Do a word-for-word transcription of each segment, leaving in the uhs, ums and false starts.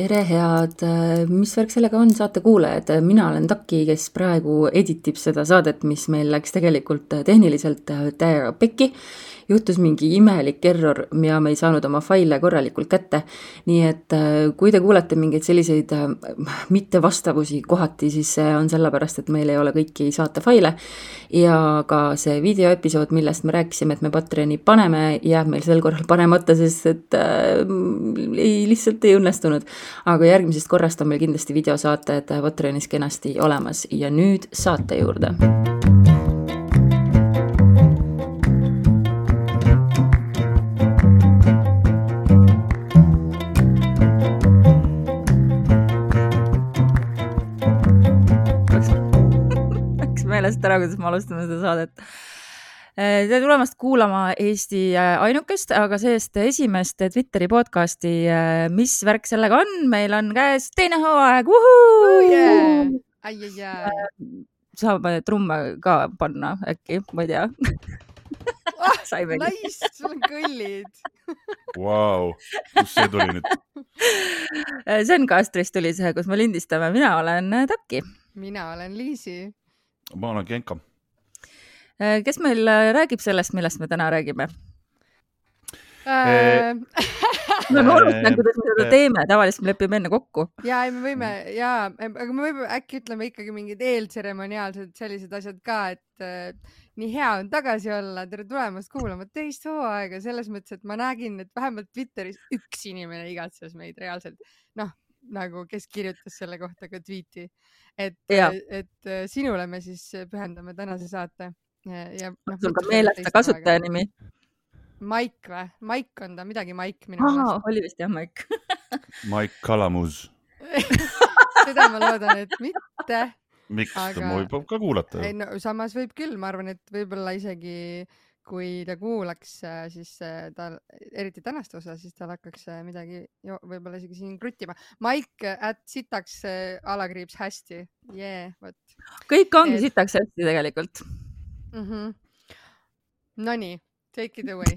Tere head, mis värk sellega on, saate kuulajad, mina olen Taki, kes praegu editib seda saadet, mis meil läks tegelikult tehniliselt täiega pekki. Juhtus mingi imelik error ja me ei saanud oma faile korralikult kätte. Nii et kui te kuulete mingeid selliseid mittevastavusi kohati, siis see on sellepärast, et meil ei ole kõiki saate faile. Ja ka see videoepisood, millest me rääkisime, et me Patreoni paneme, jääb meil sel korral panemata, sest et äh, ei, lihtsalt ei õnnestunud. Aga järgmisest korrast on meil kindlasti videosaated Patreonis kenasti olemas ja nüüd saate juurde. Meelest ära, kuidas me alustame seda saadet. Tere tulemast kuulama Eesti ainukest, aga seest esimest Twitteri podcasti, mis värk sellega on. Meil on käes teine hooaeg. Oh yeah. Ai, ai, ai. Saab trumme ka panna äkki, ma ei tea. Oh, nice, sul on kõllid. Wow, kus see tuli nüüd? See on Kastrist tuli see, kus me lindistame. Mina olen Taki. Mina olen Liisi. Ma olen Genka. Kes meil räägib sellest, millest me täna räägime? Äh... me olustame, kuidas me seda teeme, tavaliselt me lepime enne kokku. Ja, me võime, ja, aga me võime äkki ütleme ikkagi mingid eeltseremoniaalsed sellised asjad ka, et äh, nii hea on tagasi olla, tere tulemast kuulama teist hooaega, selles mõttes, et ma nägin, et vähemalt Twitteris üks inimene igatses meid reaalselt, noh, nagu kes kirjutas selle kohta ka tweeti, et, et sinule me siis pühendame tänase saate. Ja, ja, no, sul ka meelesta kasutaja nimi? Maik või? Maik on ta, midagi Maik minu Aha, oli vist jah Maik. Maik Kalamus. Seda ma loodan, et mitte. Miks? Aga... Ma võib ka kuulata. Ei, no, samas võib küll, ma arvan, et võib-olla isegi kui ta kuulaks, siis ta, eriti tänast osa, siis tal hakkaks midagi jo, võib-olla isegi siin kruttima. Maik at sitaks alakriips hästi. Yeah, what? Kõik ongi et... sitaks hästi tegelikult. Mm-hmm. Nonii, take it away.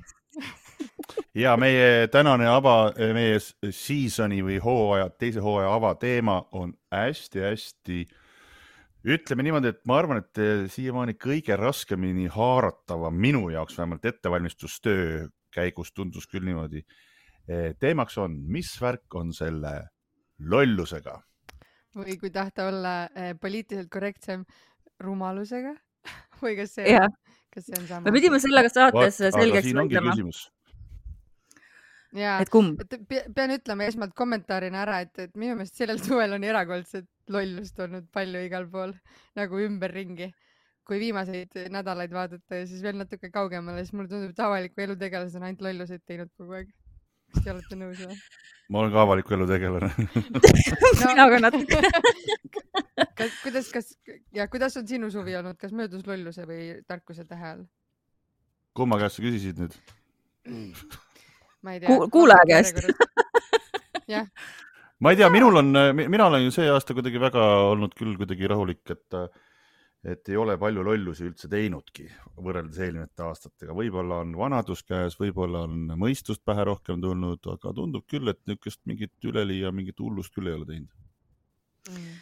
Ja meie tänane ava, meie seasoni või hooaja, teise hooaja ava teema on hästi-hästi, ütleme niimoodi, et ma arvan, et siiamaani kõige raskemini haaratava minu jaoks vähemalt ettevalmistustöö käigus tundus küll niimoodi. Teemaks on, mis värk on selle lollusega? Või kui tahta olla poliitiliselt korrektsem, rumalusega? Või kas see, ja. Kas see on sama? Me pidime sellega saates What? selgeks võitlema. Ja, et kumb? Et pean ütlema esmalt kommentaarina ära, et, et minu meelest sellel suvel on erakordselt lollust olnud palju igal pool, nagu ümberringi. Kui viimaseid nädalaid vaadata ja siis veel natuke kaugemale, siis mulle tundub, et avaliku elu tegelased on ainult lolluseid teinud kogu aeg. Kas te olete nõus või? Ma olen ka avaliku elu tegelane. Mina ka natuke. Kas, kuidas, kas, ja kuidas on sinu suvi olnud? Kas möödus lolluse või tarkuse tähe all? Kumma käest sa küsisid nüüd? Ma ei tea. Ku, kuulaja käest. Jah. Ma ei tea, minul on, mina olen ju see aasta kuidagi väga olnud küll kuidagi rahulik, et, et ei ole palju lollusi üldse teinudki võrreldes eelmiste aastatega. Võib-olla on vanadus käes, võib-olla on mõistust pähe rohkem tulnud, aga tundub küll, et niisugust mingit üleli ja mingit hullust küll ei ole teinud. Mm.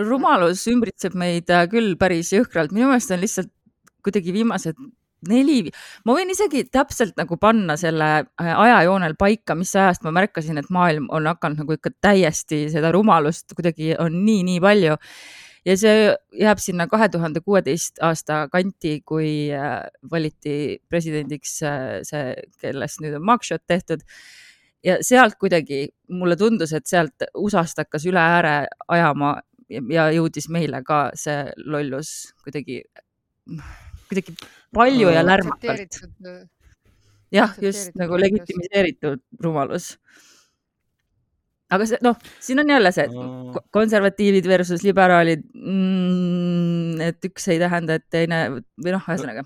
Rumalus ümbritseb meid küll päris jõhkralt. Minu meelest on lihtsalt kuidagi viimased neli. Ma võin isegi täpselt nagu panna selle ajajoonel paika, mis ajast ma märkasin, et maailm on hakanud nagu ikka täiesti seda rumalust kuidagi on nii, nii palju. Ja see jääb sinna kahe tuhande kuueteist aasta kanti, kui valiti presidendiks see, kellest nüüd on mugshot tehtud. Ja sealt kuidagi mulle tundus, et sealt U S A-st hakkas üle ääre ajama ja jõudis meile ka see lollus kuidagi, kuidagi palju ja lärmakalt. Jah, just nagu legitimiseeritud rumalus. Aga see, noh, siin on jälle see konservatiivid versus liberaalid, mm, et üks ei tähenda, et teine, või noh, ühesõnaga,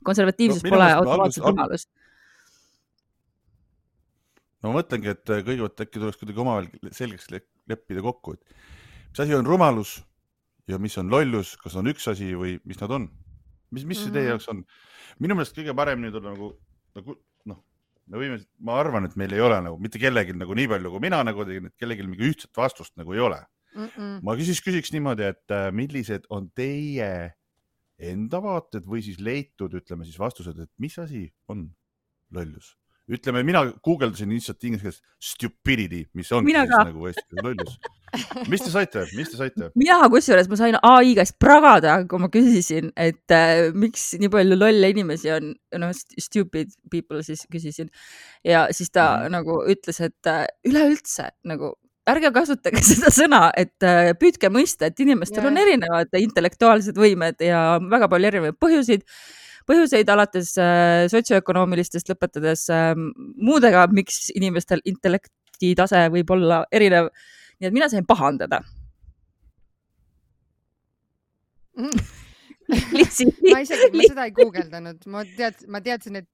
konservatiivsus no, pole automaatselt rumalus. No ma mõtlengi, et kõigepealt äkki tuleks kuidagi omavahel selgeks leppida kokku, et mis asi on rumalus ja mis on lollus, kas on üks asi või mis nad on? Mis, mis see teie jaoks on? Minu meelest kõige paremini tulla nagu, nagu noh, me võime, ma arvan, et meil ei ole nagu mitte kellelgi nagu nii palju kui mina nagu tegin, et kellelgi mingi ühtset vastust nagu ei ole. Mm-mm. Ma küsis, küsiks niimoodi, et millised on teie enda vaated või siis leitud, ütleme siis vastused, et mis asi on lollus? Ütleme, mina guugeldasin lihtsalt inglise keeles stupidity, mis on siis nagu Eesti lollus. Mis te saite? Mis te saite? Mina kusjuures ma sain A I käest pragada, kui ma küsisin, et äh, miks nii palju lolle inimesi on, no stupid people siis küsisin. Ja siis ta mm. nagu ütles, et äh, üleüldse nagu ärge kasutage seda sõna, et äh, püüdke mõista, et inimestel yeah. on erinevad intellektuaalsed võimed ja väga palju erinevaid põhjuseid. Põhjuseid alates äh, sotsioökonoomilistest lõpetades äh, muudega, miks inimestel intellekti tase võib olla erinev. Nii et mina sain pahandada. Mm. ma isegi, ma seda ei guugeldanud. Ma, tead, ma teadsin, et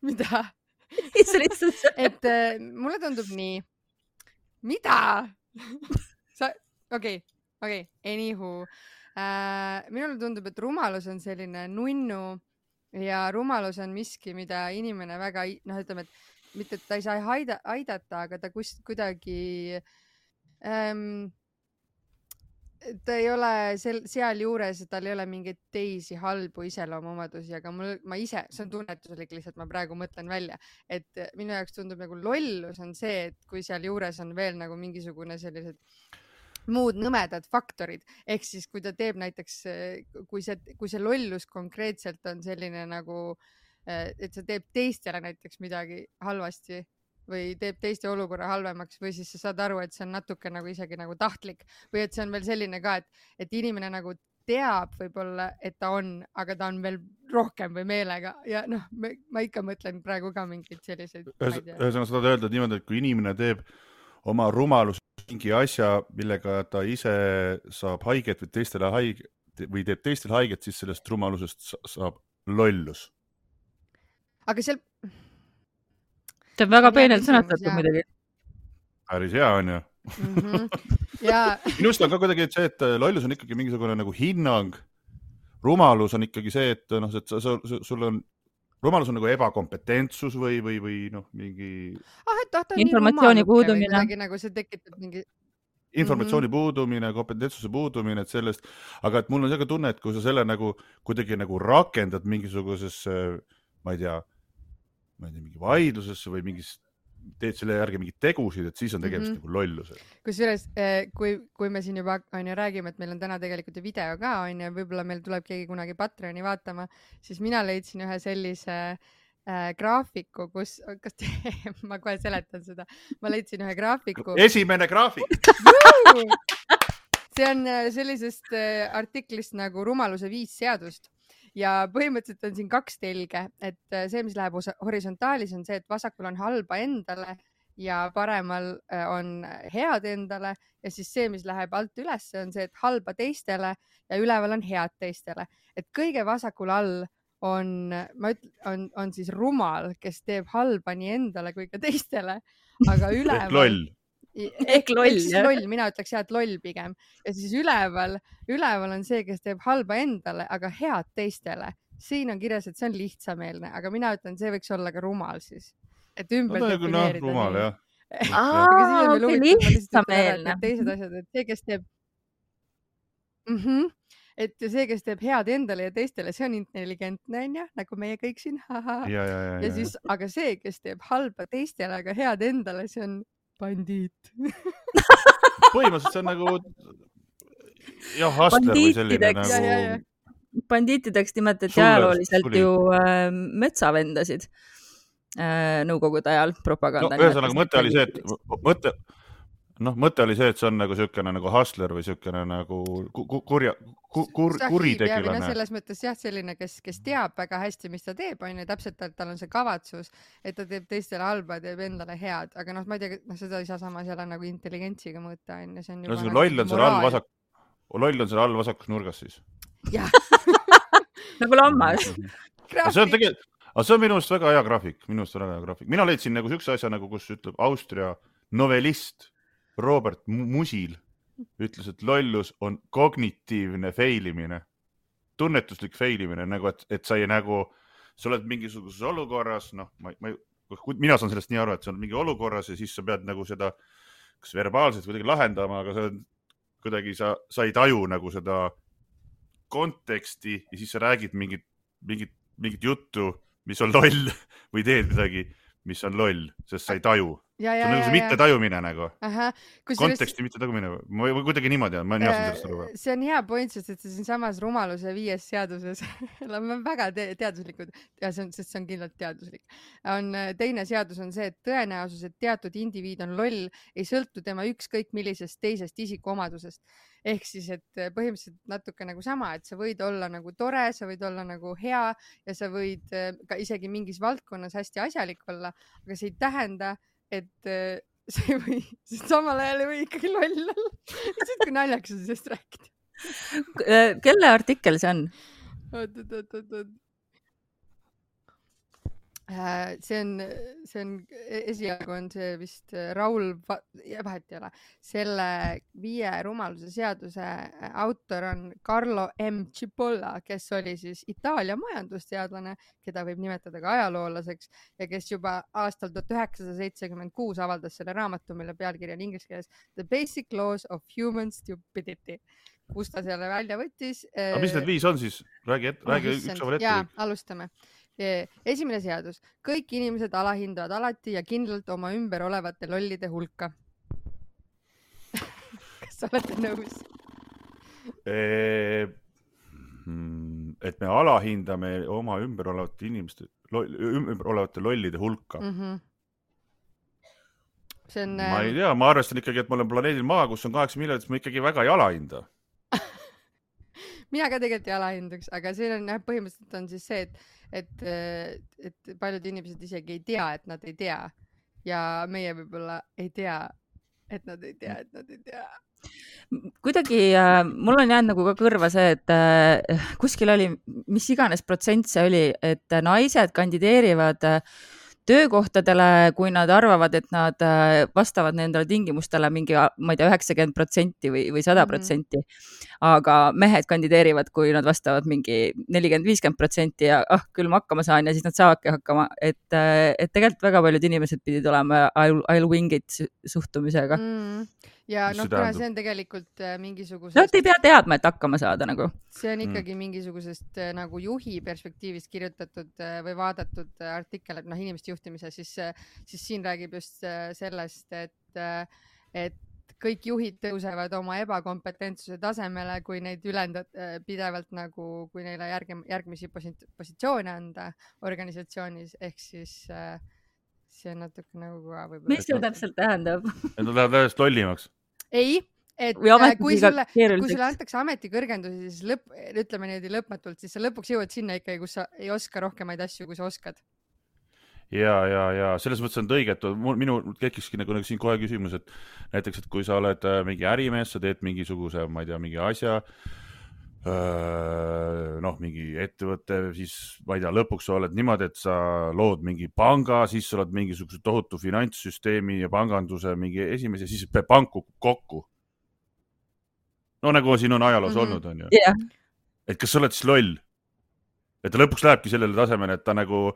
mida? et äh, mulle tundub nii. Mida? Sa, okei, okei, anywho. Äh, minule tundub, et rumalus on selline nunnu ja rumalus on miski, mida inimene väga, noh, ütleme, et mitte, et ta ei saa haida, aidata, aga ta kust, kuidagi ähm, ta ei ole sel, seal juures, tal ei ole mingeid teisi halbu iseloomuomadusi, aga mul, ma ise, see on tunnetuslik lihtsalt, ma praegu mõtlen välja, et minu jaoks tundub nagu lollus on see, et kui seal juures on veel nagu mingisugune sellised muud nõmedad faktorid, ehk siis kui ta teeb näiteks, kui see, kui see lollus konkreetselt on selline nagu, et sa teeb teistele näiteks midagi halvasti või teeb teiste olukorra halvemaks või siis sa saad aru, et see on natuke nagu isegi nagu tahtlik või et see on veel selline ka, et, et inimene nagu teab võib-olla, et ta on, aga ta on veel rohkem või meelega ja noh, ma ikka mõtlen praegu ka mingeid selliseid. Ühesõnaga sa tahad öelda niimoodi, et kui inimene teeb oma rumalus mingi asja, millega ta ise saab haiget või teistele haiget või teeb teistele haiget, siis sellest rumalusest saab lollus. Aga seal... See on väga peenelt sõnastatud muidugi. Päris hea on ju. Mm-hmm. Ja... Minust on ka kuidagi see, et lollus on ikkagi mingisugune nagu hinnang. Rumalus on ikkagi see, et noh, et sa, sa, sul on rumalus on nagu ebakompetentsus või, või, või noh, mingi... Ah, et tahta informatsiooni puudumine. Nagu see tekitab mingi... Informatsiooni mm-hmm. puudumine, kompetentsuse puudumine, et sellest, aga et mul on see tunne, et kui sa selle nagu kuidagi nagu rakendad mingisugusesse, ma ei tea, ma ei tea, mingi vaidlusesse või mingis, teed selle järgi mingid tegusid, et siis on tegemist mm-hmm. nagu lolluse. Kusjuures, kui, kui me siin juba on ju räägime, et meil on täna tegelikult video ka on ja võib-olla meil tuleb keegi kunagi Patreoni vaatama, siis mina leidsin ühe sellise äh, graafiku, kus, kas te, ma kohe seletan seda, ma leidsin ühe graafiku. Esimene graafik! See on sellisest äh, artiklist nagu rumaluse viis seadust. Ja põhimõtteliselt on siin kaks telge, et see, mis läheb horisontaalis, on see, et vasakul on halba endale ja paremal on head endale ja siis see, mis läheb alt üles, on see, et halba teistele ja üleval on head teistele. Et kõige vasakul all on, ma ütlen, on, on siis rumal, kes teeb halba nii endale kui ka teistele, aga üleval... loll. Ehk loll, jah. Loll, mina ütleks jah, et loll pigem. Ja siis üleval, üleval on see, kes teeb halba endale, aga head teistele. Siin on kirjas, et see on lihtsameelne, aga mina ütlen, see võiks olla ka rumal siis. Et ümber no, defineerida. No, rumal, jah. Aa, okei, lihtsameelne. Teised asjad, et see, kes teeb... Mm-hmm. Et see, kes teeb head endale ja teistele, see on intelligentne, on ja? Nagu meie kõik siin. Ja, ja, ja, ja, ja siis, aga see, kes teeb halba teistele, aga head endale, see on bandiit. Põhimõtteliselt see on nagu jah, hustler või selline nagu... Ja, ja, ja. Bandiitideks nimetati ajalooliselt ju äh, metsavendasid äh, nõukogude ajal propaganda. No, ühesõnaga mõte oli see, et mõte, noh, mõte oli see, et see on nagu sükene nagu hustler või sükene nagu kurja, kur, kuritegilane. No, selles mõttes jah, selline, kes, kes teab väga hästi, mis ta teeb, on ju täpselt, et tal on see kavatsus, et ta teeb teistele halba, teeb endale head, aga noh, ma ei tea, noh, seda ei saa samas jälle nagu intelligentsiga mõõta, on ju, see on juba no, loll on seal all vasak, loll on seal all vasakus nurgas siis. Jah. nagu lammas. see on tegelikult, aga see on minu arust väga hea graafik, minu arust väga hea graafik. Mina leidsin nagu sükse asja, nagu kus ütleb Austria novellist Robert Musil ütles, et lollus on kognitiivne feilimine, tunnetuslik feilimine, nagu et, et sa ei nagu, sa oled mingisuguses olukorras, noh, ma, ma, mina saan sellest nii aru, et see on mingi olukorras ja siis sa pead nagu seda kas verbaalselt kuidagi lahendama, aga sa kuidagi sa, sa ei taju nagu seda konteksti ja siis sa räägid mingit, mingit, mingit juttu, mis on loll või teed midagi, mis on loll, sest sa ei taju. Ja, see ja, on nagu see mitte tajumine nagu. Aha. Konteksti mitte tajumine. Või kuidagi niimoodi, ma ei näe sellest aru. See on hea point, sest et see siin samas rumaluse viies seaduses on väga te teaduslikud ja see on, sest see on kindlalt teaduslik. On, teine seadus on see, et tõenäosus, et teatud indiviid on loll, ei sõltu tema ükskõik millisest teisest isikuomadusest. Ehk siis, et põhimõtteliselt natuke nagu sama, et sa võid olla nagu tore, sa võid olla nagu hea ja sa võid ka isegi mingis valdkonnas hästi asjalik olla, aga see ei tähenda, et see või, sest samal ajal ei või ikkagi loll olla. See on naljakas on sellest rääkida. Kelle artikkel see on? Oot, oot, oot, oot, oot. See on, see on, esialgu on see vist Raul, vahet ei ole, selle viie rumaluse seaduse autor on Carlo M. Cipolla, kes oli siis Itaalia majandusteadlane, keda võib nimetada ka ajaloolaseks ja kes juba aastal tuhat üheksasada seitsekümmend kuus avaldas selle raamatu, mille pealkiri on inglise keeles The Basic Laws of Human Stupidity, kus ta selle välja võttis. Aga mis need viis on siis? Räägi, et, räägi üks aval ette. Jaa, alustame. Esimene seadus. Kõik inimesed alahindavad alati ja kindlalt oma ümber olevate lollide hulka. Kas sa olete nõus? Et me alahindame oma ümber olevate inimeste, ümber olevate lollide hulka. Mm-hmm. See on, ma ei tea, ma arvestan ikkagi, et ma olen planeedil Maa, kus on kaheksa miljonit, ma ikkagi väga ei alahinda. Mina ka tegelikult ei alahindaks, aga see on põhimõtteliselt on siis see, et et, et paljud inimesed isegi ei tea, et nad ei tea ja meie võib-olla ei tea, et nad ei tea, et nad ei tea. Kuidagi äh, mul on jäänud nagu ka kõrva see, et äh, kuskil oli, mis iganes protsent see oli, et naised kandideerivad äh, töökohtadele, kui nad arvavad, et nad vastavad nendele tingimustele mingi, ma ei tea, üheksakümmend protsenti või, või sada protsenti. Aga mehed kandideerivad, kui nad vastavad mingi nelikümmend viiskümmend protsenti ja ah, küll ma hakkama saan ja siis nad saavadki hakkama. Et, et tegelikult väga paljud inimesed pidid olema I'll, I'll wing it suhtumisega. Mm. Ja noh, kuna see on tegelikult mingisugusest... No, et ei pea teadma, et hakkama saada nagu. See on ikkagi mm. mingisugusest nagu juhi perspektiivist kirjutatud või vaadatud artikkel, et noh, inimeste juhtimise, siis, siis siin räägib just sellest, et, et kõik juhid tõusevad oma ebakompetentsuse tasemele, kui neid ülendad pidevalt nagu, kui neile järg, järgmisi positsioone anda organisatsioonis, ehk siis see on natuke nagu ka võib-olla... Mis see täpselt tähendab? Et nad lähevad täiesti lollimaks. Ei, et kui sulle, kui sulle antakse ametikõrgendusi, siis lõpp, ütleme niimoodi lõpmatult, siis sa lõpuks jõuad sinna ikkagi, kus sa ei oska rohkemaid asju, kui sa oskad. Ja, ja, ja selles mõttes on õige, et minu tekkiski nagu, nagu siin kohe küsimus, et näiteks, et kui sa oled mingi ärimees, sa teed mingisuguse, ma ei tea, mingi asja, noh, mingi ettevõtte, siis ma ei tea, lõpuks sa oled niimoodi, et sa lood mingi panga, siis sa oled mingisuguse tohutu finantssüsteemi ja panganduse mingi esimese, siis pank kukub kokku. No nagu siin on ajaloos mm-hmm. olnud, on ju. Yeah. Et kas sa oled siis loll? Et ta lõpuks lähebki sellele tasemele, et ta nagu,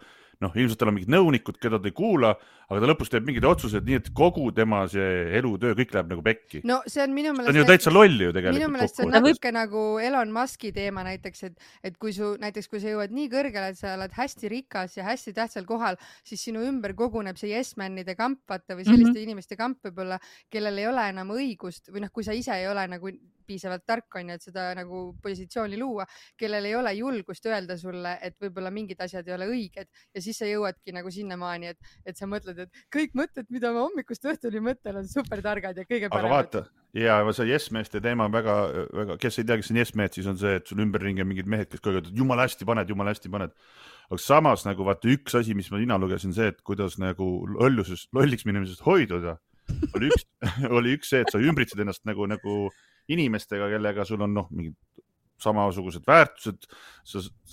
noh, ilmselt tal on mingid nõunikud, keda ta ei kuula, aga ta lõpuks teeb mingid otsused nii, et kogu tema see elutöö kõik läheb nagu pekki. No see on minu meelest... Ta on ju täitsa lolli ju tegelikult. Minu meelest see on natuke nagu Elon Muski teema näiteks, et, et kui su, näiteks kui sa jõuad nii kõrgele, et sa oled hästi rikas ja hästi tähtsal kohal, siis sinu ümber koguneb see yes-manide kamp, vaata, või selliste mm-hmm. inimeste kamp võib-olla, kellel ei ole enam õigust, või noh, kui sa ise ei ole nagu piisavalt tark on, et seda nagu positsiooni luua, kellel ei ole julgust öelda sulle, et võib-olla mingid asjad ei ole õiged ja siis sa jõuadki nagu sinnamaani, et, et sa mõtled, et kõik mõtted, mida ma hommikust õhtuni mõtlen, on super targad ja kõige paremad. Aga vaata, ja see yes-meeste teema on väga, väga, kes ei tea, kes on yes-mehed, siis on see, et sul ümberringi on mingid mehed, kes kõiged, et jumal hästi paned, jumal hästi paned. Aga samas nagu vaata üks asi, mis ma nina lugesin, see, et kuidas nagu lolluses, lolliks minemisest hoiduda, oli üks, oli üks see, et sa ümbritsed ennast nagu, nagu inimestega, kellega sul on noh, mingid samasugused väärtused,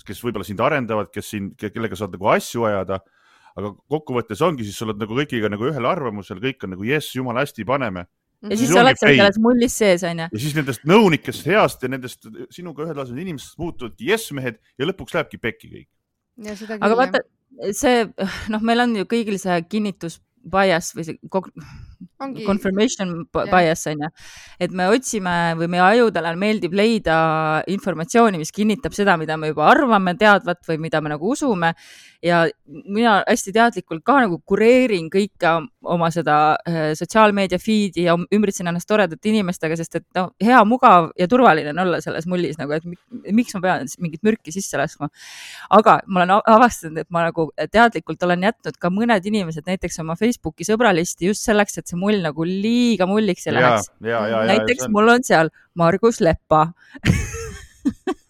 kes võib-olla sind arendavad, kes siin, kellega saad nagu asju ajada, aga kokkuvõttes ongi, siis sa oled nagu kõigiga nagu ühel arvamusel, kõik on nagu jess, jumal hästi paneme. Ja siis, siis sa oled selles mullis sees, on ja? Ja siis nendest nõunikest heast ja nendest sinuga ühel tasemel inimestest muutuvadki jess-mehed ja lõpuks lähebki pekki kõik. Ja seda aga vaata, see, noh, meil on ju kõigil see kinnitus bias või see Ongi, confirmation jah. bias on ju, et me otsime või meie ajudele meeldib leida informatsiooni, mis kinnitab seda, mida me juba arvame teadvat või mida me nagu usume ja mina hästi teadlikult ka nagu kureerin kõike oma seda äh, sotsiaalmeedia feed'i ja ümbritsen ennast toredate inimestega, sest et no, hea, mugav ja turvaline on olla selles mullis nagu, et miks ma pean mingit mürki sisse laskma. Aga ma olen avastanud, et ma nagu teadlikult olen jätnud ka mõned inimesed näiteks oma Facebooki sõbralisti just selleks, et see mull nagu liiga mulliks ei läheks. Ja, ja, ja, näiteks on... mul on seal Margus Leppa.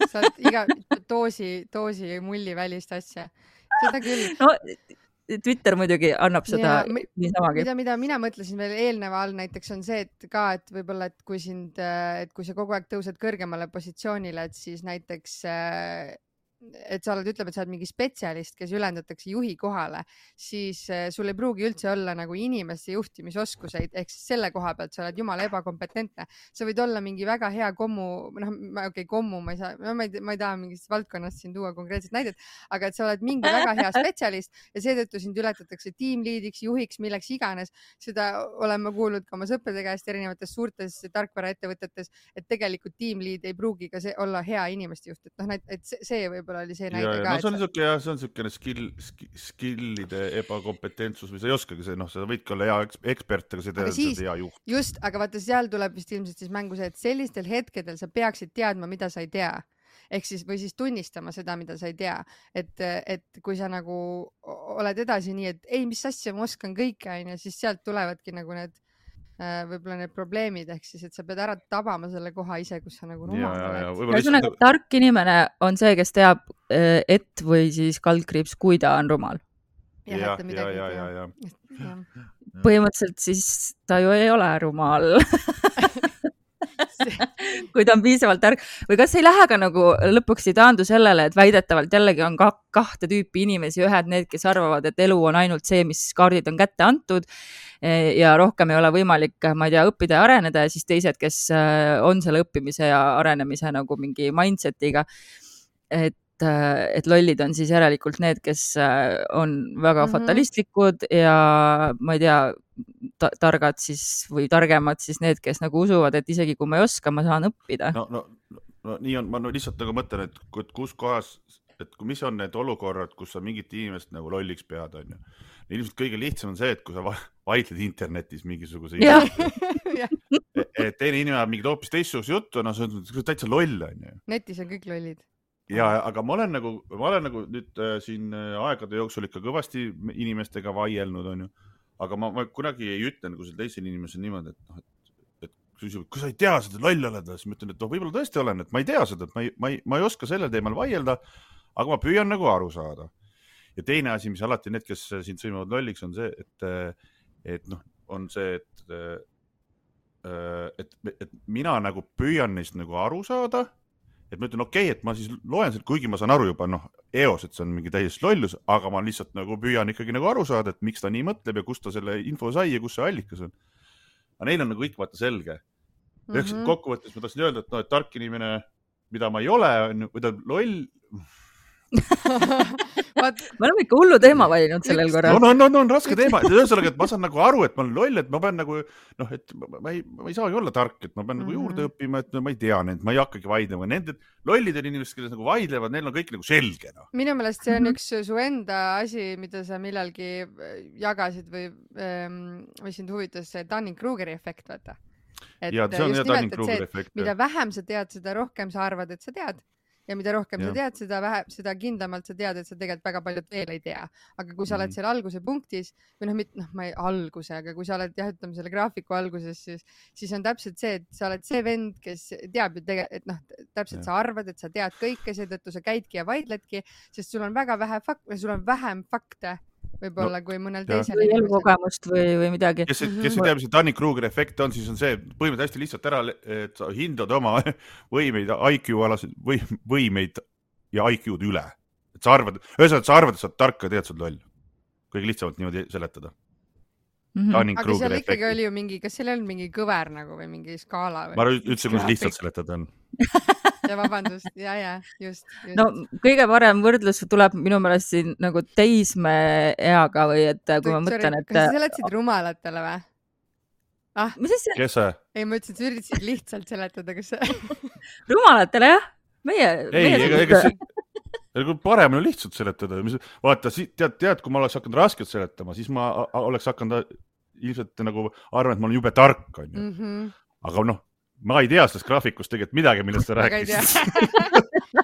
Sa oled iga doosi, doosi mulli välist asja. Seda küll. No, Twitter muidugi annab seda ja, niisamagi. Mida, mida mina mõtlesin veel eelneva all näiteks on see, et ka, et võib-olla, et kui sind, et kui sa kogu aeg tõused kõrgemale positsioonile, et siis näiteks et sa oled, ütleb, et sa oled mingi spetsialist, kes ülendatakse juhi kohale, siis sul ei pruugi üldse olla nagu inimeste juhtimisoskuseid, ehk siis selle koha pealt sa oled jumala ebakompetentne. Sa võid olla mingi väga hea kommu, noh, okei, okay, kommu, ma ei saa, no, ma, ei, ma ei taha mingist valdkonnast siin tuua konkreetset näidet, aga et sa oled mingi väga hea spetsialist ja seetõttu sind ületatakse tiimliidiks, juhiks, milleks iganes. Seda olen ma kuulnud ka oma sõprade käest erinevates suurtes tarkvaraettevõtetes, et tegelikult tiimliid ei pruugi ka see olla hea inimeste juht, et noh, et see, see võib oli see näide ja, ka. No, see on niisugune, jah, see on niisugune skill, skillide ebakompetentsus või sa ei oskagi see, noh, sa võidki olla hea ekspert, aga see tead, siis, hea juht. Just, aga vaata, seal tuleb vist ilmselt siis mängu see, et sellistel hetkedel sa peaksid teadma, mida sa ei tea. Ehk siis, või siis tunnistama seda, mida sa ei tea. Et, et kui sa nagu oled edasi nii, et ei, mis asja ma oskan kõike, on, ja siis sealt tulevadki nagu need võib-olla need probleemid, ehk siis, et sa pead ära tabama selle koha ise, kus sa nagu rumal oled. Ühesõnaga, tark inimene on see, kes teab et või siis kaldkriips, kui ta on rumal. Ja, ja, ja, ja, ja. Põhimõtteliselt siis ta ju ei ole rumal. kui ta on piisavalt tark või kas ei lähe ka nagu lõpuks ei taandu sellele, et väidetavalt jällegi on ka kahte tüüpi inimesi, ühed need, kes arvavad, et elu on ainult see, mis kaardid on kätte antud ja rohkem ei ole võimalik, ma ei tea, õppida ja areneda ja siis teised, kes on selle õppimise ja arenemise nagu mingi mindsetiga, et, et lollid on siis järelikult need, kes on väga mm-hmm. fatalistlikud ja ma ei tea, targad siis või targemad siis need, kes nagu usuvad, et isegi kui ma ei oska, ma saan õppida. No, no, no nii on, ma no, lihtsalt nagu mõtlen, et kus kohas, et mis on need olukorrad, kus sa mingit inimest nagu lolliks pead, on ju. Ilmselt kõige lihtsam on see, et kui sa vaidled internetis mingisuguse et teine inimene mingid hoopis teistsuguse juttu, no see on täitsa loll, on ju. Netis on kõik lollid. Ja, aga ma olen nagu, ma olen nagu nüüd äh, siin aegade jooksul ikka kõvasti inimestega vaielnud, on ju. Aga ma, ma kunagi ei ütle nagu selle teisel inimesel niimoodi, et, noh, et, et kui sa ei tea seda loll oled, siis ma ütlen, et noh, võib-olla tõesti olen, et ma ei tea seda, et ma ei, ma ei, ma ei oska sellel teemal vaielda, aga ma püüan nagu aru saada. Ja teine asi, mis alati need, kes sind sõimavad lolliks, on see, et, et noh, on see, et, et, et mina nagu püüan neist nagu aru saada, et ma ütlen, okei, okay, et ma siis loen seda, kuigi ma saan aru juba, noh, eos, et see on mingi täiesti lollus, aga ma lihtsalt nagu püüan ikkagi nagu aru saada, et miks ta nii mõtleb ja kust ta selle info sai ja kus see allikas on. Aga neil on nagu kõik vaata selge. Mm-hmm. Kokkuvõttes ma tahtsin öelda, et, no, et tark inimene, mida ma ei ole, on, või ta loll... me oleme ikka hullu teema valinud sellel korral. No, no, no, no on raske teema. Ühesõnaga, et ma saan nagu aru, et ma olen loll, et ma pean nagu, noh, et ma ei, ma ei saagi olla tark, et ma pean nagu juurde õppima, et no, ma ei tea need, ma ei hakkagi vaidlema. Nende lollid on inimesed, kes nagu vaidlevad, neil on kõik nagu selge. No. Minu meelest see on üks su enda asi, mida sa millalgi jagasid või, või sind huvitas see Dunning-Krugeri efekt, vaata. Et ja, see on just nimelt, et see, efekt, mida vähem sa tead, seda rohkem sa arvad, et sa tead. Ja mida rohkem ja. sa tead, seda, vähe, seda kindlamalt sa tead, et sa tegelikult väga paljud veel ei tea. Aga kui sa oled seal alguse punktis, või noh, mit, noh, ma ei alguse, aga kui sa oled jah, ütleme selle graafiku alguses, siis, siis on täpselt see, et sa oled see vend, kes teab ju tegelikult, et noh, täpselt ja. sa arvad, et sa tead kõike, seetõttu sa käidki ja vaidledki, sest sul on väga vähe fakt, sul on vähem fakte võib-olla no, kui mõnel teisel või elukogemust või, või midagi. Kes, kes ei tea, mis see Dunning-Krugeri efekt on, siis on see põhimõtteliselt hästi lihtsalt ära, et sa hindad oma võimeid, I Q-alasid või, võimeid ja I Q-d üle. Et sa arvad, ühesõnaga, sa arvad, et sa oled tark ja tead, sa oled loll. Kõige lihtsamalt niimoodi seletada. Mhm. Dunning aga seal Krugeri ikkagi efekti. oli ju mingi, kas seal on mingi kõver nagu või mingi skaala Ma või? üldse, kuidas lihtsalt seletada on. Ja vabandust, ja, ja, just, just. no kõige parem võrdlus tuleb minu meelest siin nagu teismeeaga või et kui ma mõtlen, et kas sa seletasid rumalatele või? Ah, mis siis see Kes see? ei, ma ütlesin, et sa üritasid lihtsalt seletada, kas see... rumalatele jah? Meie, Ei, meie ega, ega see parem on lihtsalt seletada. Vaata, tead, tead, kui ma oleks hakanud rasket seletama, siis ma oleks hakanud ilmselt nagu arvan, et ma olen jube tark, on ju. Mm -hmm. Aga noh, ma ei tea sellest graafikust tegelikult midagi, millest sa rääkisid.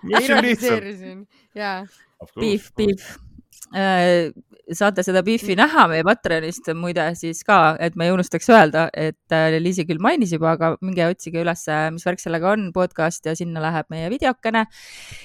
Ma ironiseerisin, jaa. Beef, beef. Saate seda beefi näha meie Patreonist muide siis ka, et me ei unustaks öelda, et Liisi küll mainis juba, aga minge otsige üles, mis värk sellega on, podcast ja sinna läheb meie videokene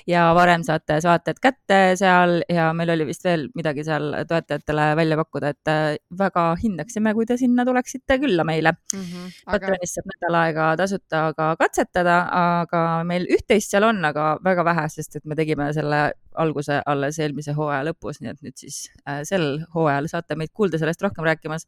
ja varem saate saated kätte seal ja meil oli vist veel midagi seal toetajatele välja pakkuda, et väga hindaksime, kui te sinna tuleksite külla meile. Mm -hmm, aga... Patreonist saab nädal aega tasuta ka katsetada, aga meil üht-teist seal on, aga väga vähe, sest et me tegime selle alguse alles eelmise hooaja lõpus, nii et nüüd siis äh, sel hooajal saate meid kuulda sellest rohkem rääkimas.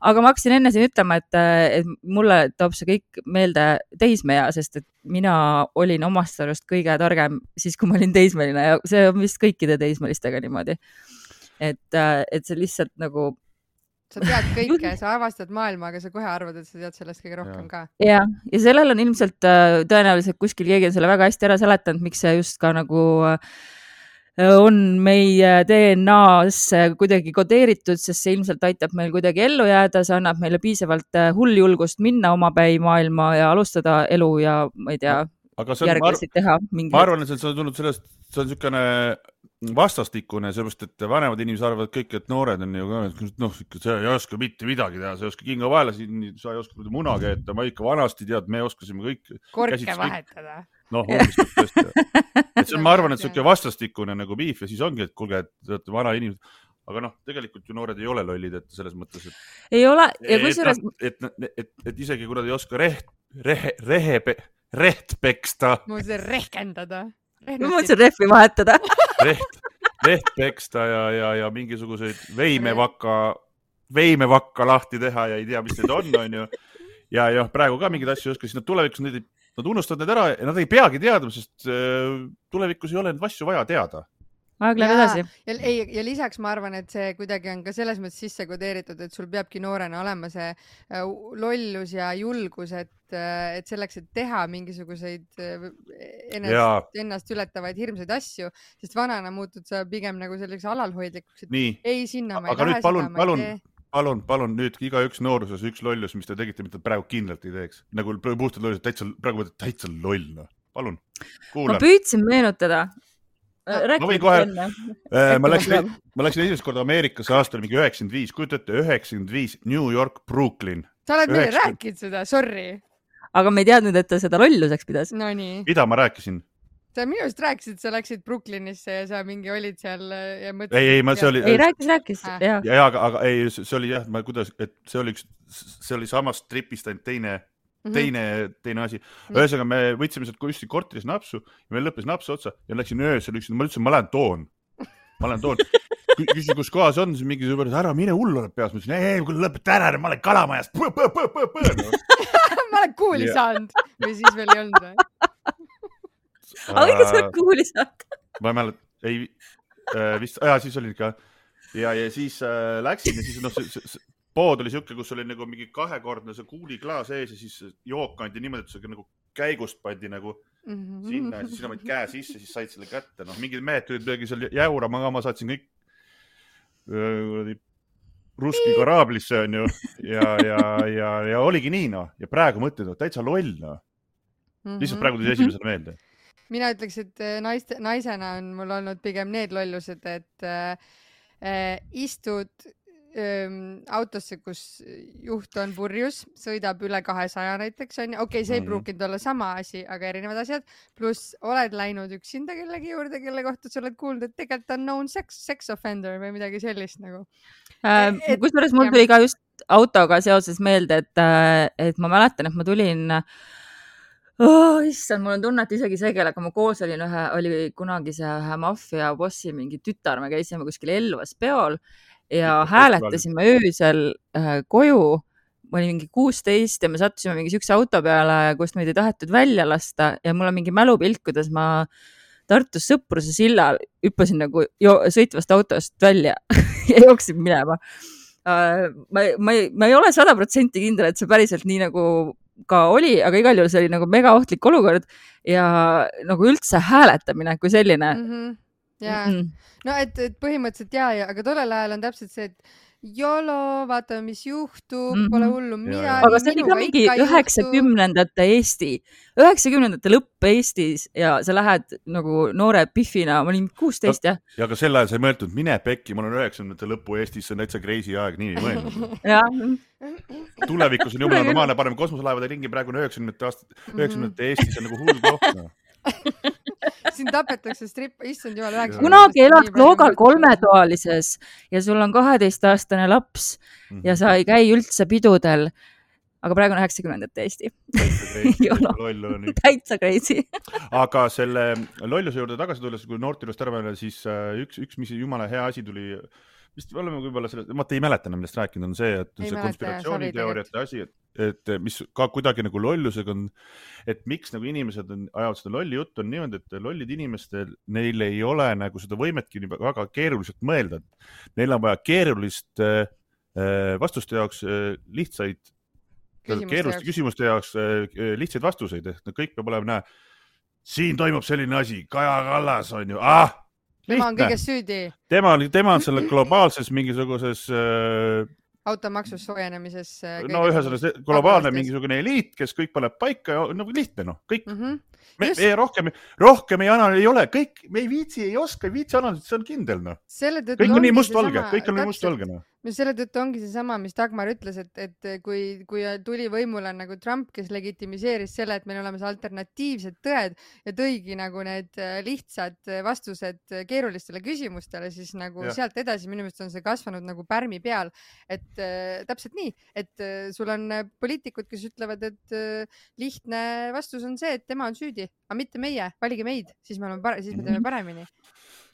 Aga ma hakkasin enne siin ütlema, et, et mulle toob see kõik meelde teismeea, sest et mina olin omast arust kõige targem siis, kui ma olin teismeline ja see on vist kõikide teismelistega niimoodi. Et, et see lihtsalt nagu... Sa tead kõike, sa avastad maailma, aga sa kohe arvad, et sa tead sellest kõige rohkem ka. Ja, ja sellel on ilmselt tõenäoliselt kuskil keegi on selle väga hästi ära seletanud, miks see just ka nagu... on meie D N A-sse kuidagi kodeeritud, sest see ilmselt aitab meil kuidagi ellu jääda, see annab meile piisavalt hull julgust minna omapäi maailma ja alustada elu ja ma ei tea, järglasid teha. Mingi... Ma arvan, et see on tulnud sellest, see on niisugune vastastikune, sellepärast, et vanemad inimesed arvavad kõik, et noored on ju, noh, sa ei oska mitte midagi teha, sa ei oska kinga vahele, sa ei oska muna keeta, ma ikka vanasti tead, me oskasime kõik. Korke vahetada. Noh, umbes tõesti. Et see on, ma arvan, et see on vastastikune nagu beef ja siis ongi, et kuulge, et vana inimesed, aga noh, tegelikult ju noored ei ole lollid, et selles mõttes, et... Ei ole, ja kusjuures... Et, et, et, et isegi kui nad ei oska reht, rehe, rehe, reht peksta... Ma mõtlesin rehkendada. Ma mõtlesin rehvi vahetada. Reht, reht peksta ja, ja, ja mingisuguseid veimevakka, veimevakka lahti teha ja ei tea, mis need on, on ju. Ja, ja praegu ka mingeid asju oska, siis nad tulevikus need ei Nad unustavad need ära ja nad ei peagi teadma, sest tulevikus ei ole neid asju vaja teada. Aeg läheb edasi. Ja, ja, ja lisaks ma arvan, et see kuidagi on ka selles mõttes sisse kodeeritud, et sul peabki noorena olema see lollus ja julgus, et, et selleks, et teha mingisuguseid ennast, ennast ületavaid hirmsaid asju, sest vanana muutud sa pigem nagu selleks alalhoidlikuks, et Nii. ei sinna ma ei aga lähe nüüd palun, seda, palun, palun, palun nüüd iga üks nooruses üks lollus, mis te tegite, mida praegu kindlalt ei teeks. Nagu puhtad lollus, täitsa, praegu täitsa loll. No. Palun, kuulan. Ma püüdsin meenutada. Ma võin kohe, äh, ma, läksin, ma läksin esimest korda Ameerikasse aastal mingi üheksakümmend viis, kujutate üheksakümmend viis, New York, Brooklyn. Sa oled meile rääkinud seda, sorry. Aga me ei teadnud, et ta seda lolluseks pidas. No nii. Mida ma rääkisin? Sa minu just rääkisid, sa läksid Brooklynisse ja sa mingi olid seal ja mõtlesid... Ei, ei, ma see oli... Ei, rääkis, rääkis, ah. jah. Ja, aga, aga ei, see oli jah, ma kuidas, et see oli üks, see oli samast tripist ainult teine, teine, teine asi. Ühesõnaga, me võtsime sealt kusti korteris napsu ja meil lõppes napsu otsa ja läksin öösel, üksin, ma ütlesin, ma lähen toon. Ma lähen toon. Küsin, kus kohas on, siis mingi sõber, ära mine hull oled peas. Ma ütlesin, ei, kui lõpeta ära, ma olen kalamajast. Põ, põ, põ, põ, põ, no. Ma olen kuuli saanud või siis veel ei olnud või? aga ikka sa oled kuuli saanud. ma ei mälet, ei, vist, ja siis oli ikka ja, ja siis äh, läksin ja siis noh, see, see, pood oli siuke, kus oli nagu mingi kahekordne see kuuliklaas ees ja siis jook kandi niimoodi, et see nagu käigust pandi nagu mm -hmm. sinna ja siis sina võid käe sisse, siis said selle kätte. Noh, mingid mehed tulid midagi seal jäurama ka, ma saatsin kõik öö, ruski koraablisse on ju ja, ja, ja, ja oligi nii noh ja praegu mõtled, täitsa loll noh. Lihtsalt praegu tuli esimesena meelde. Mina ütleks, et naiste, naisena on mul olnud pigem need lollused, et äh, istud äh, autosse, kus juht on purjus, sõidab üle kahesaja näiteks, on ju. Okei, okay, see ei pruukinud olla sama asi, aga erinevad asjad. Pluss oled läinud üksinda kellegi juurde, kelle kohta sa oled kuulnud, et tegelikult on known sex, sex offender või midagi sellist nagu. Äh, kusjuures mul tuli ka just autoga seoses meelde, et, et ma mäletan, et ma tulin... Oh, issand, mul on tunne, et isegi see, kellega ma koos olin, ühe, oli kunagi see ühe maffia bossi mingi tütar, me käisime kuskil Elvas peol ja hääletasime öösel äh, koju. Ma olin mingi kuusteist ja me sattusime mingi sükse auto peale, kust meid ei tahetud välja lasta ja mul on mingi mälupilt, kuidas ma Tartus Sõpruse sillal hüppasin nagu jo sõitvast autost välja ja jooksin minema. Uh, ma, ma, ei, ma ei ole sada protsenti kindel, et see päriselt nii nagu ka oli, aga igal juhul see oli nagu mega ohtlik olukord ja nagu üldse hääletamine kui selline. Mm -hmm. yeah. mm -hmm. No et, et põhimõtteliselt jaa, ja, aga tollel ajal on täpselt see, et jolo, vaatame, mis juhtub, mm -hmm. pole hullu midagi. Aga see oli ka mingi üheksakümnendate Eesti, üheksakümnendate lõpp Eestis ja sa lähed nagu noore pihvina, ma olin kuusteist, jah. Ja aga sel ajal sa ei mõeldud, mine pekki, ma olen üheksakümnendate lõppu Eestis, see on täitsa crazy aeg, nii ei mõelnud. Tulevikus on jumala normaalne, paneme kosmoselaevade ringi, praegu on üheksakümnendate aastat, üheksakümnendate Eestis on nagu hull koht. Siin tapetakse strippe, issand jumal üheksa. Kunagi elad Kloogal kolmetoalises ja sul on kaheteistaastane laps mm -hmm. ja sa ei käi üldse pidudel. Aga praegu on üheksakümnendate Eesti. Täitsa crazy. Aga selle lolluse juurde tagasi tulles, kui noortilust ära mõelda, siis üks, üks mis jumala hea asi tuli, vist oleme võib-olla selle, ma ei mäleta, millest rääkinud on see, et ei see mäleta, konspiratsiooniteooriate asi, et, et mis ka kuidagi nagu lollusega on, et miks nagu inimesed on, ajavad seda lolli juttu on niimoodi, et lollid inimestel, neil ei ole nagu seda võimetki väga keeruliselt mõelda. Neil on vaja keerulist vastuste jaoks lihtsaid keeruliste küsimuste jaoks lihtsaid vastuseid, et kõik peab olema näe, siin toimub selline asi, Kaja Kallas on ju, ah, tema on kõiges süüdi. Tema, tema on selle globaalses mingisuguses äh, automaksus soojenemises. No ühe selles globaalne mingisugune eliit, kes kõik paneb paika, nagu lihtne, noh, kõik. Mm -hmm. Me, me rohkem, rohkem ei, ei ole, kõik, me ei viitsi, ei oska, ei viitsi analüüsida, see on kindel, noh. Kõik on nii must-valge, kõik on nii must-valge, noh. Selle tõttu ongi see sama, mis Dagmar ütles, et, et kui, kui tuli võimule nagu Trump, kes legitimiseeris selle, et meil olemas alternatiivsed tõed ja tõigi nagu need lihtsad vastused keerulistele küsimustele, siis nagu ja. Sealt edasi minu meelest on see kasvanud nagu pärmi peal, et äh, täpselt nii, et äh, sul on poliitikud, kes ütlevad, et äh, lihtne vastus on see, et tema on süüdi, aga mitte meie, valige meid, siis me, oleme, siis me teeme paremini.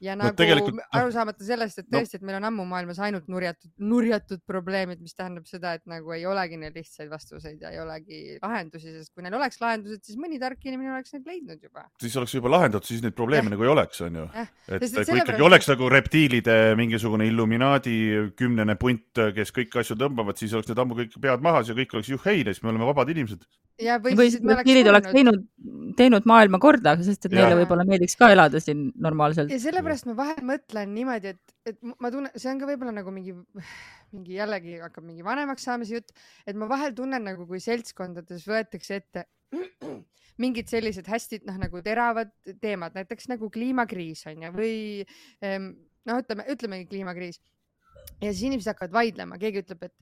Ja no, nagu aru saamata sellest, et tõesti, et meil on ammu maailmas ainult nurjatud, nurjatud probleemid, mis tähendab seda, et nagu ei olegi neil lihtsaid vastuseid ja ei olegi lahendusi, sest kui neil oleks lahendused, siis mõni tark inimene oleks neid leidnud juba. Siis oleks juba lahendatud, siis neid probleeme ja. Nagu ei oleks, on ju. Et sest, kui ikkagi oleks nagu reptiilide mingisugune Illuminaadi kümnene punt, kes kõik asju tõmbavad, siis oleks need ammu kõik pead mahas ja kõik oleks juheile, siis me oleme vabad inimesed. Ja või, või siis reptiilid oleks teinud, teinud maailma korda, sest et neile võib-olla meediks ka elada siin normaalselt. Ja sellepärast ma vahel mõtlen niimoodi, et, et ma tunnen, see on ka võib-olla nagu mingi, mingi jällegi hakkab mingi vanemaks saamise jutt, et ma vahel tunnen nagu, kui seltskondades võetakse ette mingid sellised hästi noh, nagu teravad teemad, näiteks nagu kliimakriis on ja või noh, ütleme, ütlemegi kliimakriis ja siis inimesed hakkavad vaidlema, keegi ütleb, et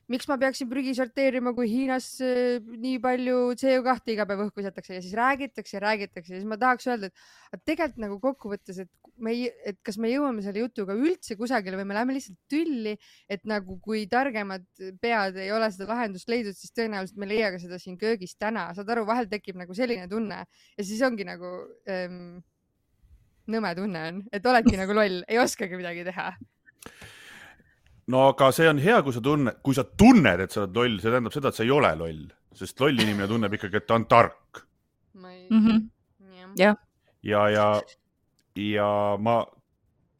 miks ma peaksin prügi sorteerima, kui Hiinas nii palju C O kaht iga päev õhku visatakse ja siis räägitakse ja räägitakse ja siis ma tahaks öelda, et tegelikult nagu kokkuvõttes, et, me ei, et kas me jõuame selle jutuga üldse kusagile või me läheme lihtsalt tülli, et nagu kui targemad pead ei ole seda lahendust leidnud, siis tõenäoliselt me leiaga seda siin köögis täna. Saad aru, vahel tekib nagu selline tunne ja siis ongi nagu ähm, nõme tunne on, et oledki nagu loll, ei oskagi midagi teha. No aga see on hea, kui sa tunned, kui sa tunned, et sa oled loll, see tähendab seda, et sa ei ole loll, sest loll inimene tunneb ikkagi, et ta on tark. Ei... Mm -hmm. ja. ja, ja, ja ma,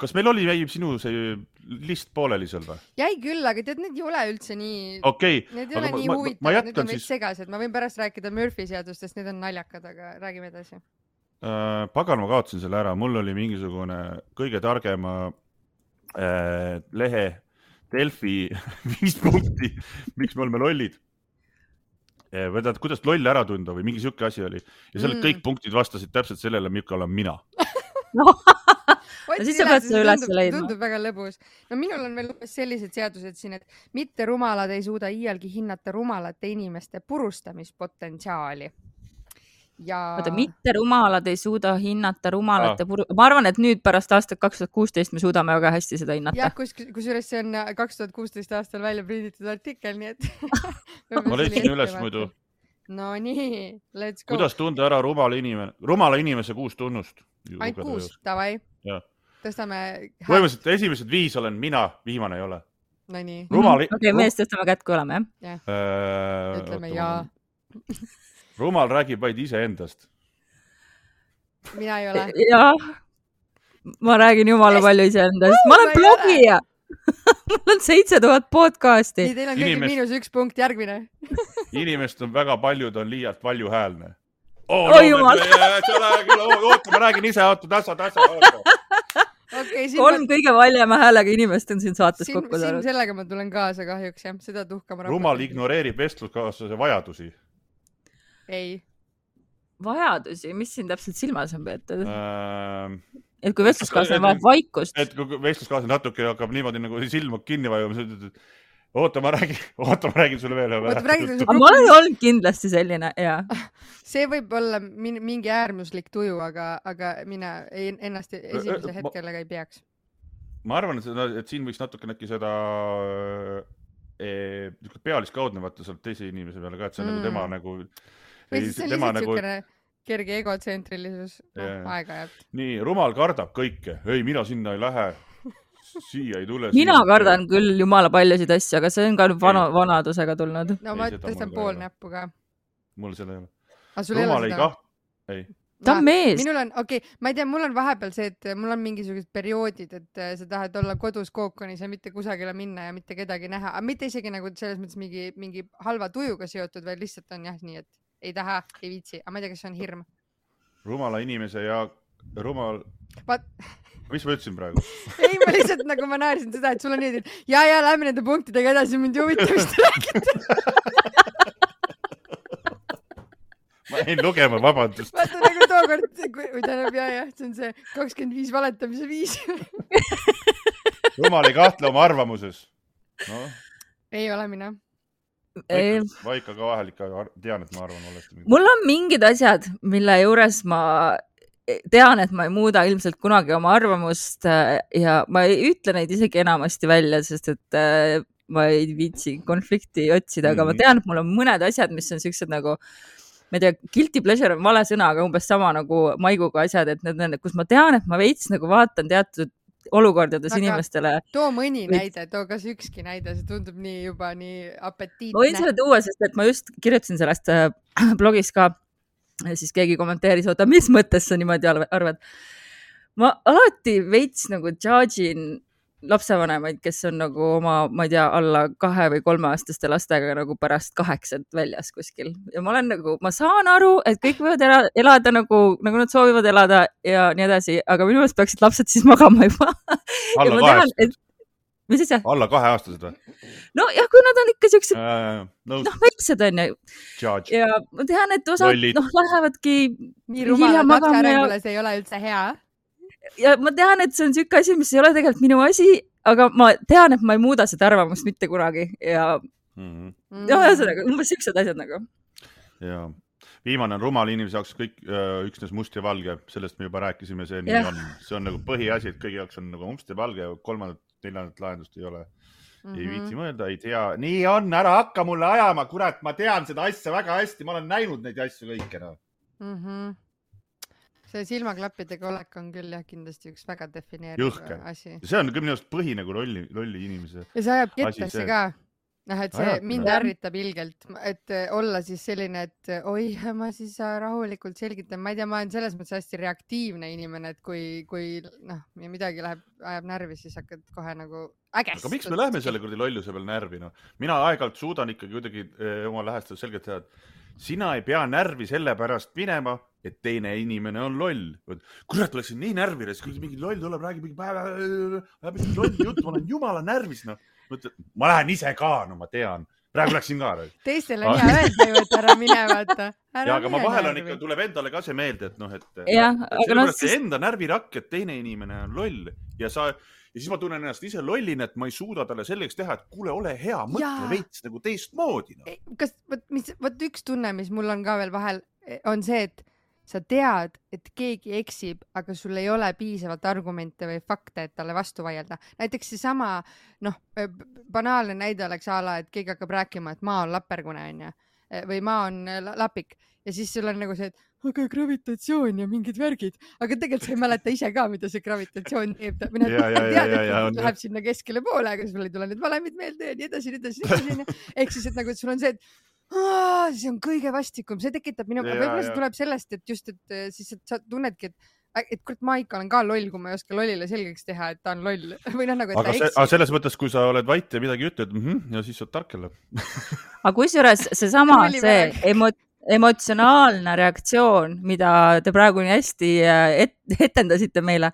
kas meil oli, jäi sinu see list pooleli seal või? Jäi küll, aga tead, need ei ole üldse nii, okay, need ei ole nii ma, huvitavad, need on siis... segased, ma võin pärast rääkida Murphy seadustest, need on naljakad, aga räägime edasi. Äh, pagan, ma kaotasin selle ära, mul oli mingisugune kõige targema äh, lehe Delfi viis punkti, miks me oleme lollid. Või tähendab, kuidas loll ära tunda või mingi siuke asi oli. Ja selle mm. kõik punktid vastasid täpselt sellele, milline olen mina. no, siis sa pead see üles leidma. Tundub väga lõbus. No minul on veel sellised seadused siin, et mitte rumalad ei suuda iialgi hinnata rumalate inimeste purustamispotentsiaali. Ja... Oota, mitte rumalad ei suuda hinnata rumalate ah. puru... Ma arvan, et nüüd pärast aastat kaks tuhat kuusteist me suudame väga hästi seda hinnata. Jah, kus, kusjuures see on kaks tuhat kuusteist aastal välja prinditud artikkel, nii et... ma leidsin üles muidu. No nii, let's go. Kuidas tunda ära rumala inimene, rumala inimese kuus tunnust? Ainult kuus, tavai. Jah. tõstame... Põhimõtteliselt esimesed viis olen mina, viimane ei ole. No nii. Rumal... Okei, okay, mees tõstame kätt, kui oleme, jah? jah. Äh, Ütleme jaa. Rumal räägib vaid ise endast. Mina ei ole. Jah. Ma räägin jumala yes. palju ise endast. Ma olen ma blogija. Mul on seitse tuhat podcasti. Nii, teil on kõigil Inimest... miinus üks punkt, järgmine. Inimest on väga paljud, on liialt valju häälne. Oh, oi no, jumal. Oota, ma räägin ise, oota, tassa, tassa, oota. Okay, kolm ma... kõige valjema häälega inimest on siin saates siin, kokku saanud. Sellega ma tulen kaasa kahjuks, jah. Seda tuhkama Rumal ignoreerib vestluskaaslase vajadusi. Ei. Vajadusi? Mis siin täpselt silmas on peetud? Ähm... Et kui vestluskaaslane vajab vaikust. Et kui vestluskaaslane natuke hakkab niimoodi nagu silma kinni vajuma, oota, ma räägin, oota, ma räägin sulle veel. Oota, ma olen olnud kindlasti selline, jaa. See võib olla mingi äärmuslik tuju, aga, aga mina ennast esimese hetkele ei peaks. Ma arvan, et, et siin võiks natuke näkki seda e, pealiskaudne vaata sealt teise inimese peale ka, et see on mm. nagu tema nagu... Või siis see on lihtsalt nagu... sükene kerge egotsentrilisus, no, aega jääb. Nii, Rumal kardab kõike. Ei, mina sinna ei lähe. Siia ei tule. Mina kardan küll jumala paljusid asju, aga see on ka vana, vanadusega tulnud. No ma tõstan pool näppu ka. Mul seda ei ole. Aga sul ei ole seda? Kaht... Ei. Ta on mees. Minul on, okei, okay, ma ei tea, mul on vahepeal see, et mul on mingisugused perioodid, et sa tahad olla kodus kookonis ja mitte kusagile minna ja mitte kedagi näha. Aga mitte isegi nagu selles mõttes mingi, mingi halva tujuga seotud, vaid lihtsalt on jah nii, et ei taha, ei viitsi. Aga ma ei tea, kas see on hirm. Rumala inimese ja rumal... Vaat... Mis ma ütlesin praegu? Ei, ma lihtsalt nagu ma näerisin seda, et sul on nii, et ja, ja, lähme nende punktidega edasi, mind juvitavist räägida. Ma jäin lugema, vabandust. Vaata nagu tookord, kui tähendab, ja, ja, see on see kakskümmend viis valetamise viis. Rumal ei kahtle oma arvamuses. No. Ei ole mina. Vaika ka vahel ikka tean, et ma arvan olesti. Mul on mingid asjad, mille juures ma tean, et ma ei muuda ilmselt kunagi oma arvamust ja ma ei ütle neid isegi enamasti välja, sest et ma ei viitsi konflikti otsida, aga mm-hmm. ma tean, et mul on mõned asjad, mis on sellised nagu, ma ei tea, guilty pleasure on vale sõna, aga umbes sama nagu maiguga asjad, et need on, kus ma tean, et ma veits nagu vaatan teatud olukordades aga inimestele. Too mõni näide, too kas ükski näide, see tundub nii juba nii apetiitne. Ma võin selle tuua, sest et ma just kirjutasin sellest äh, blogis ka, siis keegi kommenteeris, oota, mis mõttes sa niimoodi arvad? Ma alati veits nagu judge'in lapsevanemaid, kes on nagu oma, ma ei tea, alla kahe või kolme aastaste lastega nagu pärast kaheksat väljas kuskil. Ja ma olen nagu, ma saan aru, et kõik võivad elada, elada nagu, nagu nad soovivad elada ja nii edasi, aga minu meelest peaksid lapsed siis magama juba. Alla kahest? Mis siis jah? Alla kahe aastased või? No jah, kui nad on ikka siuksed, äh, no, noh, väiksed on ju. Judge. Ja ma tean, et osad, Lollit. noh, lähevadki nii rumalad lapse arengules ei ole üldse hea. Ja ma tean, et see on siuke asi, mis ei ole tegelikult minu asi, aga ma tean, et ma ei muuda seda arvamust mitte kunagi ja mm-hmm. ja ühesõnaga, umbes siuksed asjad nagu. Ja viimane on rumal inimese jaoks kõik äh, üksnes must ja valge, sellest me juba rääkisime, see nii on. See on nagu põhiasi, et kõigi jaoks on nagu must ja valge ja kolmandat, neljandat lahendust ei ole. Mm-hmm. Ei viitsi mõelda, ei tea. Nii on, ära hakka mulle ajama, kurat, ma tean seda asja väga hästi, ma olen näinud neid asju kõike. No. Mm-hmm. See silmaklappidega olek on küll jah kindlasti üks väga defineeriv Jõhke. Asi. See on küll minu arust põhi nagu lolli, lolli inimese. Ja see ajab kettasse ka. Noh, et see Ajab, mind ärritab ilgelt, et olla siis selline, et oi, ma siis rahulikult selgitan. Ma ei tea, ma olen selles mõttes hästi reaktiivne inimene, et kui, kui noh, midagi läheb, ajab närvi, siis hakkad kohe nagu ägest. Aga miks me lähme selle kurdi lolluse peal närvi? No? Mina aeg-ajalt suudan ikkagi kuidagi eh, oma lähestada selgelt teha, et sina ei pea närvi selle pärast minema, et teine inimene on loll. Kurat, oleksin nii närvides, kui mingi loll tuleb, räägib mingi päeva, läheb mingi loll jutt, ma olen jumala närvis. No. Ma lähen ise ka, no ma tean. Praegu läksin ka. Teistele on hea öelda ju, et ära mine vaata. Ja, aga ma vahel on ikka, tuleb endale ka see meelde, et noh, et, ja, et selle no, siis... enda närvirakk, et teine inimene on loll. Ja, sa, ja siis ma tunnen ennast ise lollin, et ma ei suuda talle selleks teha, et kuule, ole hea, mõtle veits nagu teistmoodi. No. Kas, võt, mis, võt üks tunne, mis mul on ka veel vahel, on see, et sa tead, et keegi eksib, aga sul ei ole piisavalt argumente või fakte, et talle vastu vaielda. Näiteks see sama, noh, banaalne näide oleks ala, et keegi hakkab rääkima, et maa on lapergune on ja, või maa on lapik. Ja siis sul on nagu see, et aga gravitatsioon ja mingid värgid, aga tegelikult sa ei mäleta ise ka, mida see gravitatsioon teeb. Mina Ja, ja, ja, tead, ja, ja, et on, läheb sinna keskele poole, aga sul ei tule need valemid meelde ja nii edasi, nii edasi, nii edasi. Ehk siis, et nagu, et sul on see, et Aa, see on kõige vastikum, see tekitab minu, Ja, võib-olla ja. see tuleb sellest, et just, et eh, siis et sa tunnedki, et, et kurat, ma ikka olen ka loll, kui ma ei oska lollile selgeks teha, et ta on loll või noh, nagu, et aga, ta se, eksib. aga selles mõttes, kui sa oled vait ja midagi ütled, mm -hmm, ja siis sa oled tark jälle. aga kusjuures seesama, Tuli see väeg. emo, emotsionaalne reaktsioon, mida te praegu nii hästi äh, et, etendasite meile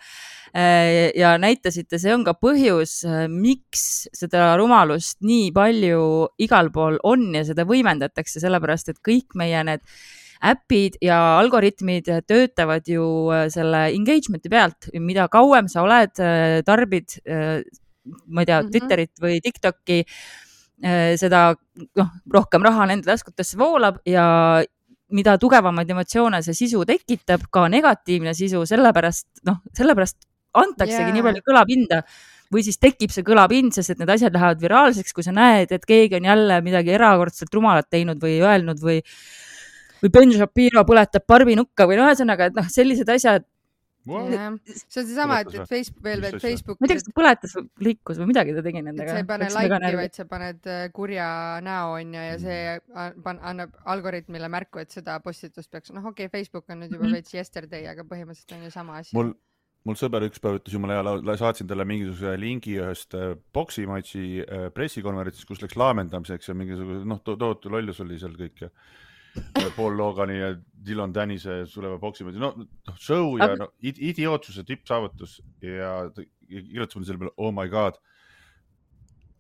äh, ja näitasite, see on ka põhjus, äh, miks seda rumalust nii palju igal pool on ja seda võimendatakse, sellepärast et kõik meie need äpid ja algoritmid töötavad ju äh, selle engagement'i pealt, mida kauem sa oled, äh, tarbid, äh, ma ei tea, Mhm. Twitterit või TikTok'i, äh, seda noh, rohkem raha nende taskutesse voolab ja mida tugevamaid emotsioone see sisu tekitab, ka negatiivne sisu, sellepärast, noh, sellepärast antaksegi Jaa. nii palju kõlapinda või siis tekib see kõlapind, sest et need asjad lähevad viraalseks, kui sa näed, et keegi on jälle midagi erakordselt rumalat teinud või öelnud või, või Ben Shapiro põletab barbinukka või no ühesõnaga, et noh, sellised asjad, Jah. See on seesama, et, Põletas et Facebook, veel, Mis veel asja? Facebook, ma ei tea, kas ta põletas või liikus või midagi ta tegi et nendega. sa ei pane Läks väga like'i, närvi. vaid sa paned äh, kurja näo on ja, ja see an- pan- annab algoritmile märku, et seda postitust peaks, noh okei okay,, Facebook on nüüd juba Mhm. veits yesterday, aga põhimõtteliselt on ju sama asi. mul, mul sõber üks päev ütles jumala hea, saatsin talle mingisuguse lingi ühest äh, boksimatši äh, pressikonverentsist, kus läks laamendamiseks ja mingisuguse, noh, to tohutu lollus oli seal kõik ja Paul Logani ja Dylan Dannise tuleva boksimatši, no, no show ja Aga- no, id idiootsuse tippsaavutus ja ta kirjutas mulle selle peale, oh my god,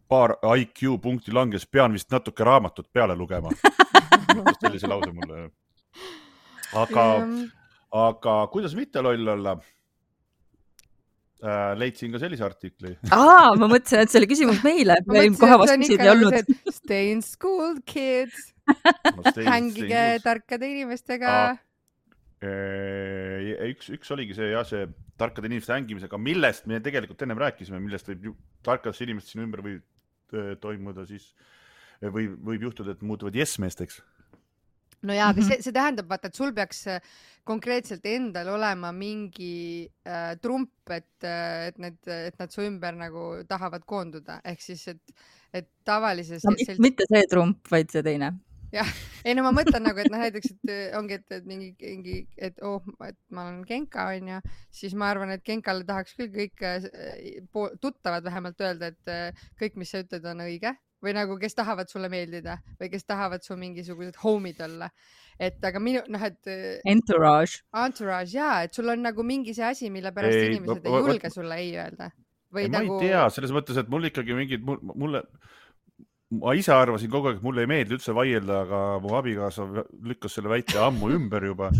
paar I Q punkti langes, pean vist natuke raamatut peale lugema. Sellise lause mulle. Aga, aga kuidas mitte loll olla? Äh, leidsin ka sellise artikli. Aa, ma mõtlesin, et see oli küsimus meile. Ma Meil mõtlesin, kohe et see on vastuseid ikka ei nagu olnud. see, et stay in school, kids, hängige tarkade inimestega. Üks, üks oligi see, jah, see tarkade inimeste hängimisega, millest me tegelikult ennem rääkisime, millest võib ju tarkadest inimest sinu ümber võib äh, toimuda siis, või võib juhtuda, et muutuvad yes-meesteks. No jaa, aga see, see tähendab, vaata, et sul peaks äh, konkreetselt endal olema mingi äh, trump, et, äh, et, need, et nad su ümber nagu tahavad koonduda. Ehk siis, et, et tavalises... No, sel... Mitte see trump, vaid see teine. Jah, ei no ma mõtlen nagu, et noh, näiteks, et ongi, et, et mingi, mingi, et oh, et ma olen Genka, on ju, siis ma arvan, et Genkale tahaks küll kõik äh, tuttavad vähemalt öelda, et äh, kõik, mis sa ütled, on õige. Või nagu, kes tahavad sulle meeldida või kes tahavad su mingisugused homid olla. Et aga minu, noh, et... Entourage. Entourage, jaa, et sul on nagu mingi see asi, mille pärast ei, inimesed ei julge va, sulle ei öelda. Või ei, nagu... Ma ei tea, selles mõttes, et mul ikkagi mingid, mulle, ma ise arvasin kogu aeg, et mulle ei meeldi üldse vaielda, aga mu abikaasa lükkas selle väite ammu ümber juba.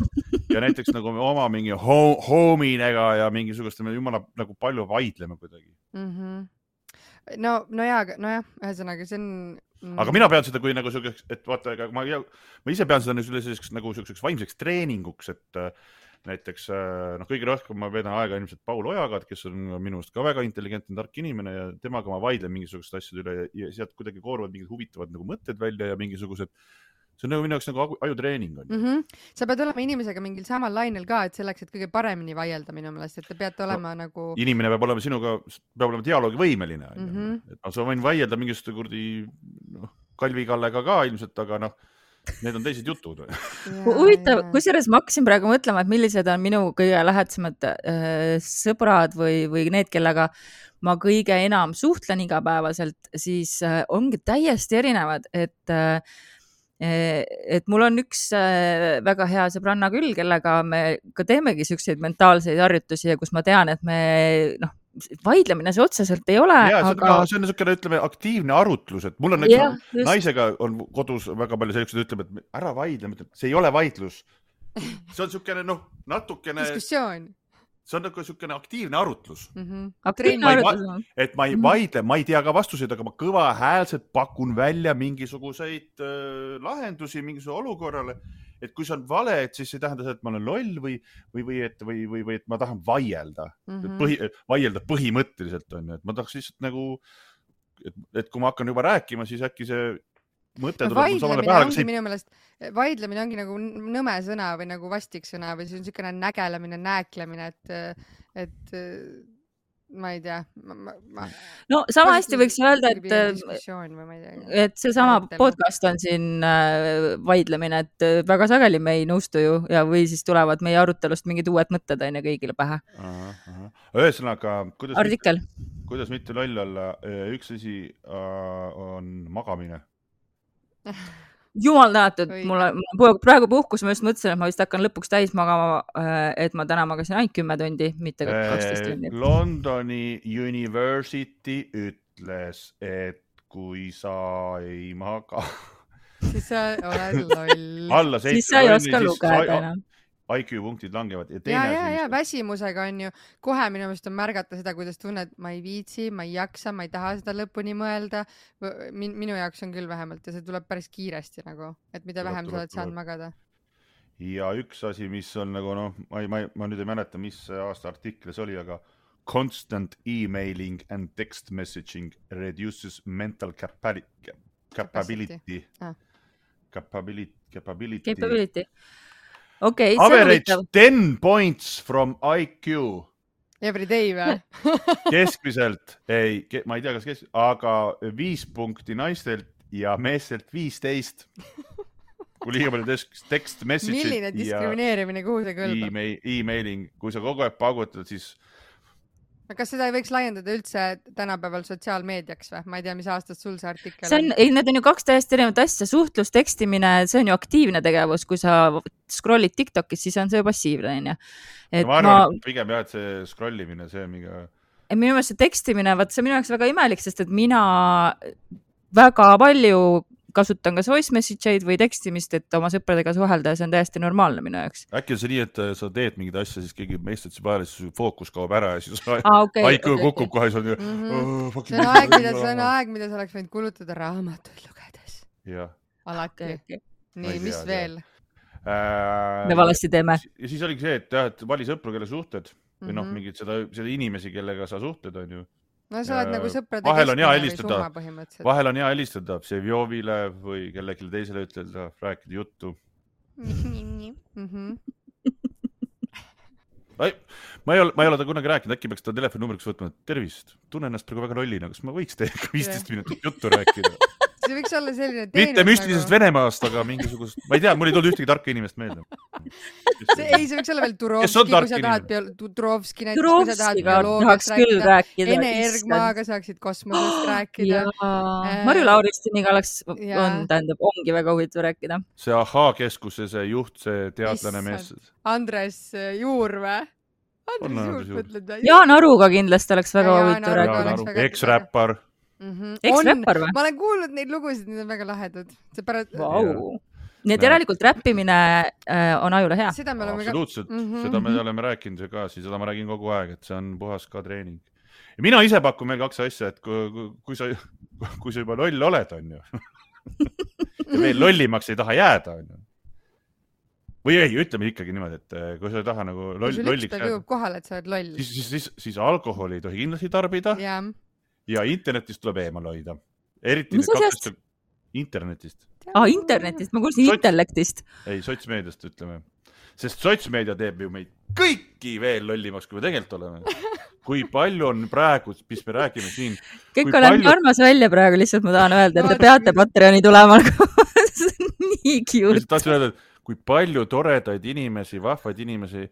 Ja näiteks nagu oma mingi hominega ja mingisugust, me jumala nagu palju vaidleme kuidagi. Mhm. No, no jaa, no jah, ühesõnaga, see on... Mm. Aga mina pean seda kui nagu selliseks, et vaata, aga ma, ma ise pean seda selliseks, nagu selliseks vaimseks treeninguks, et näiteks, noh, kõige rohkem ma veedan aega ilmselt Paul Ojaga, kes on minust ka väga intelligentne, tark inimene ja temaga ma vaidlen mingisugused asjad üle ja sealt kuidagi kooruvad mingid huvitavad nagu mõtted välja ja mingisugused, see on nagu minu jaoks nagu ajutreening on. Mm -hmm. Sa pead olema inimesega mingil samal lainel ka, et selleks, et kõige paremini vaielda minu meelest, et te peate olema no, nagu... Inimene peab olema sinuga, peab olema dialoogivõimeline. Mm -hmm. et no, sa võin vaielda mingisuguste kurdi noh, Kalvi Kallega ka ilmselt, aga noh, need on teised jutud. Huvitav, kusjuures ma hakkasin praegu mõtlema, et millised on minu kõige lähedsemad äh, sõbrad või, või need, kellega ma kõige enam suhtlen igapäevaselt, siis äh, ongi täiesti erinevad, et äh, et mul on üks väga hea sõbranna küll, kellega me ka teemegi selliseid mentaalseid harjutusi ja kus ma tean, et me noh, vaidlemine see otseselt ei ole. Ja, aga... see on niisugune, ütleme, aktiivne arutlus, et mul on ja, naisega on kodus väga palju sellised, ütleb, et ära vaidle, see ei ole vaidlus. See on niisugune, noh, natukene... Diskussioon. See on nagu niisugune aktiivne arutlus. Mm -hmm. Aktiivne arutlus. Et ma ei vaidle, ma ei tea ka vastuseid, aga ma kõva häälselt pakun välja mingisuguseid äh, lahendusi mingisuguse olukorrale. Et kui see on vale, et siis ei tähenda see, et ma olen loll või, või, või, et, või, või, või et ma tahan vaielda. Mm -hmm. Põhi, vaielda põhimõtteliselt on. Et ma tahaks lihtsalt nagu, et, et kui ma hakkan juba rääkima, siis äkki see mõte tuleb mul samale pähe, aga see minu meelest, vaidlemine ongi nagu nõme sõna või nagu vastik sõna või see on niisugune nägelemine, nääklemine, et, et ma ei tea. Ma, ma, ma... No sama hästi võiks öelda, et, et see sama podcast on siin vaidlemine, et väga sageli me ei nõustu ju ja või siis tulevad meie arutelust mingid uued mõtted aine kõigile pähe. Ühesõnaga, kuidas, Artikel. Mitte, kuidas mitte loll olla, üks asi on magamine. Jumal tänatud, mul on praegu puhkus, ma just mõtlesin, et ma vist hakkan lõpuks täis magama, et ma täna magasin ainult kümme tundi, mitte kaksteist tundi. Londoni University ütles, et kui sa ei maga siis sa oled loll. Alla siis sa ei oska lugeda enam. I Q punktid langevad. Ja, ja, ja, ja väsimusega on ju, kohe minu meelest on märgata seda, kuidas tunned, ma ei viitsi, ma ei jaksa, ma ei taha seda lõpuni mõelda. Min, minu jaoks on küll vähemalt ja see tuleb päris kiiresti nagu, et mida vähem sa oled saanud magada. Ja üks asi, mis on nagu, noh, ma, ma, ma nüüd ei mäleta, mis aasta artiklis oli, aga constant emailing and text messaging reduces mental capacity. Capability. Ah. Capability. Capability. Capability. Okay, average ten points from I Q. Every day või? Keskmiselt, ei, ma ei tea, kas keskmiselt, aga viis punkti naistelt ja meestelt viisteist. Kui liiga palju text message. Milline diskrimineerimine, kuhu see kõlbab? E-mailing, kui sa kogu aeg pagutad, siis... Kas seda ei võiks laiendada üldse tänapäeval sotsiaalmeediaks või? Ma ei tea, mis aastast sul see artikkel see on. Ei, need on ju kaks täiesti erinevat asja. Suhtlus, tekstimine, see on ju aktiivne tegevus. Kui sa scrollid TikTokis, siis on see ju passiivne. Ja. Et ma arvan, ma... pigem jah, et see scrollimine, see on mingi... Minu meelest see tekstimine, vaat see minu jaoks väga imelik, sest et mina väga palju kasutan kas voice message'id või tekstimist, et oma sõpradega suhelda ja see on täiesti normaalne minu jaoks. Äkki on see nii, et sa teed mingid asja, siis keegi meistad see peale, siis fookus kaob ära ja siis ah, okay, I Q okay, kukub okay. kohe. See on, mm-hmm. oh, see, on aeg, mida, see on aeg, mida sa oleks võinud kulutada raamatuid lugedes. Jah. Alati. Okay. Nii, mis tea, veel? Äh, Me valasti teeme. Ja siis oligi see, et, jah, et vali sõpru, kelle suhted või mm-hmm. noh, mingid seda, seda inimesi, kellega sa suhted on ju. No sa oled nagu sõprade vahel on hea helistada, vahel on hea helistada Sevjovile või kellelegi teisele ütelda, rääkida juttu. Mm-hmm. Ai, ma ei ole, ma ei ole ta kunagi rääkinud, äkki peaks ta telefonnumbriks võtma, tervist, tunnen ennast praegu väga lollina, kas ma võiks teiega viisteist minutit juttu rääkida? See võiks olla selline teenus. Mitte müstilisest nagu... Venemaast, aga mingisugust, ma ei tea, mul ei tulnud ühtegi tarka inimest meelde. See, ei, see võiks olla veel Turovski, kui sa tahad bio... Turovski näiteks, kui sa tahad bioloogiast rääkida. rääkida. Ene Ergmaaga saaksid kosmosest rääkida. Äh... Marju Lauristiniga oleks, on, tähendab, ongi väga huvitav rääkida. See Ahhaa-keskuse, see juht, see teadlane mees. Andres Juur või? Andres Juur, mõtled või? Jaan Aruga kindlasti oleks väga huvitav rääkida. Eks-räppar. Mm-hmm. Eks-räppar või? Ma olen kuulnud neid lugusid, need on väga lahedad. See pärast... Wow. Nii et järelikult räppimine äh, on ajule hea. Seda me oleme absoluutselt, ka... mm-hmm. seda me oleme rääkinud ka, siis seda ma räägin kogu aeg, et see on puhas ka treening. Ja mina ise pakun meil kaks asja, et kui, kui, sa, kui sa juba loll oled, on ju, ja veel lollimaks ei taha jääda, on ju. Või ei, ütleme ikkagi niimoodi, et kui sa ei taha nagu loll, kui lolliks jääda, kohale, et sa oled loll. Siis, siis, siis, siis alkoholi ei tohi kindlasti tarbida yeah. ja internetist tuleb eemal hoida. Eriti need kaks internetist. Ah, internetist, ma kuulsin Sots... intellektist. Ei, sotsmeediast ütleme. Sest sotsmeedia teeb ju meid kõiki veel lollimaks, kui me tegelikult oleme. Kui palju on praegu, mis me räägime siin. Kõik olen palju... armas välja praegu, lihtsalt ma tahan öelda, et te peate Patreoni tulema. See on nii cute. Tahtsin öelda, et kui palju toredaid inimesi, vahvaid inimesi,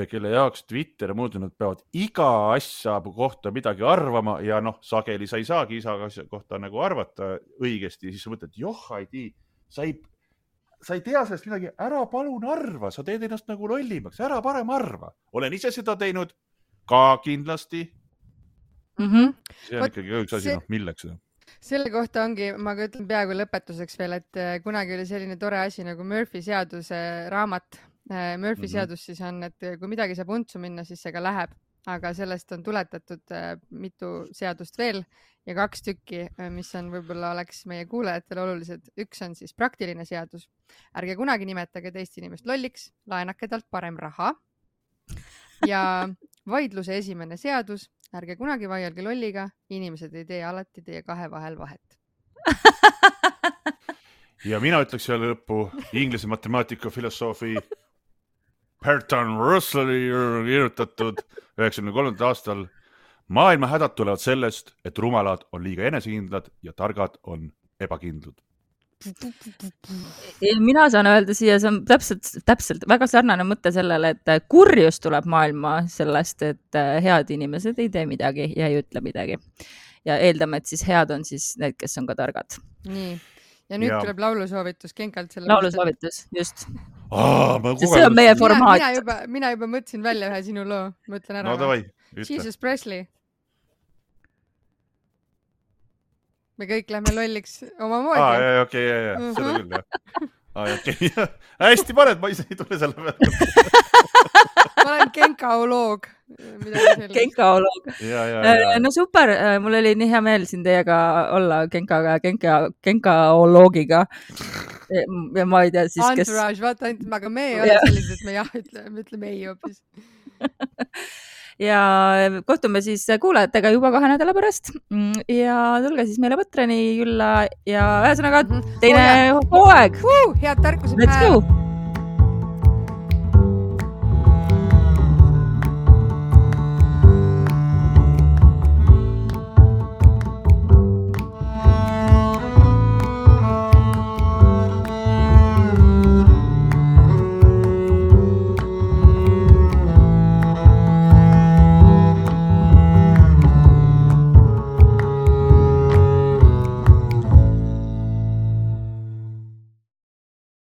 kelle jaoks Twitter muud, nad peavad iga asja kohta midagi arvama ja noh, sageli sa ei saagi isa kohta nagu arvata õigesti, siis sa mõtled, joh, ei tii, sa ei, sa ei tea sellest midagi, ära palun arva, sa teed ennast nagu lollimaks, ära parem arva. Olen ise seda teinud ka kindlasti. Mm-hmm. See on ikkagi üks asi, see... noh, milleks seda? Selle kohta ongi, ma ka ütlen peaaegu lõpetuseks veel, et kunagi oli selline tore asi nagu Murphy seaduse raamat. Murphy mm-hmm. seadus siis on, et kui midagi saab untsu minna, siis see ka läheb, aga sellest on tuletatud mitu seadust veel ja kaks tükki, mis on võib-olla oleks meie kuulajatele olulised. Üks on siis praktiline seadus. Ärge kunagi nimetage teist inimest lolliks, laenake talt parem raha. Ja vaidluse esimene seadus, ärge kunagi vaielge lolliga, inimesed ei tee alati teie kahe vahel vahet. ja mina ütleks selle lõppu inglise matemaatika filosoofi Bertrand Russelli kirjutatud üheksakümne kolmandal aastal. Maailma hädad tulevad sellest, et rumalad on liiga enesekindlad ja targad on ebakindlud. Mina saan öelda siia, see on täpselt, täpselt väga sarnane mõte sellele, et kurjus tuleb maailma sellest, et head inimesed ei tee midagi ja ei ütle midagi. Ja eeldame, et siis head on siis need, kes on ka targad. Nii. Ja nüüd ja. Tuleb laulusoovitus Kenkalt. Laulusoovitus, just. Aa, see on meie formaat. Mina, mina, juba, mina juba mõtlesin välja ühe sinu loo. Mõtlen ära. No davai, ütle. Jesus Presley. Me kõik lähme lolliks oma moodi. Aa, jah, okei, okay, jah, jah, seda küll, jah. Aa, okei, okay. Hästi paned, ma ise ei tule selle peale. Ma olen kenkaoloog. Kenkaoloog. Ja, ja, ja. No super, mul oli nii hea meel siin teiega olla kenkaga, kenka, kenkaoloogiga. Ja ma ei tea siis, Entourage, kes... Entourage, vaata, aga me ei ole ja. Sellised, et me jah ütleme, me ütleme ei hoopis. Ja kohtume siis kuulajatega juba kahe nädala pärast ja tulge siis meile Põtrani külla ja ühesõnaga teine hooaeg. Head tarkuse päeva.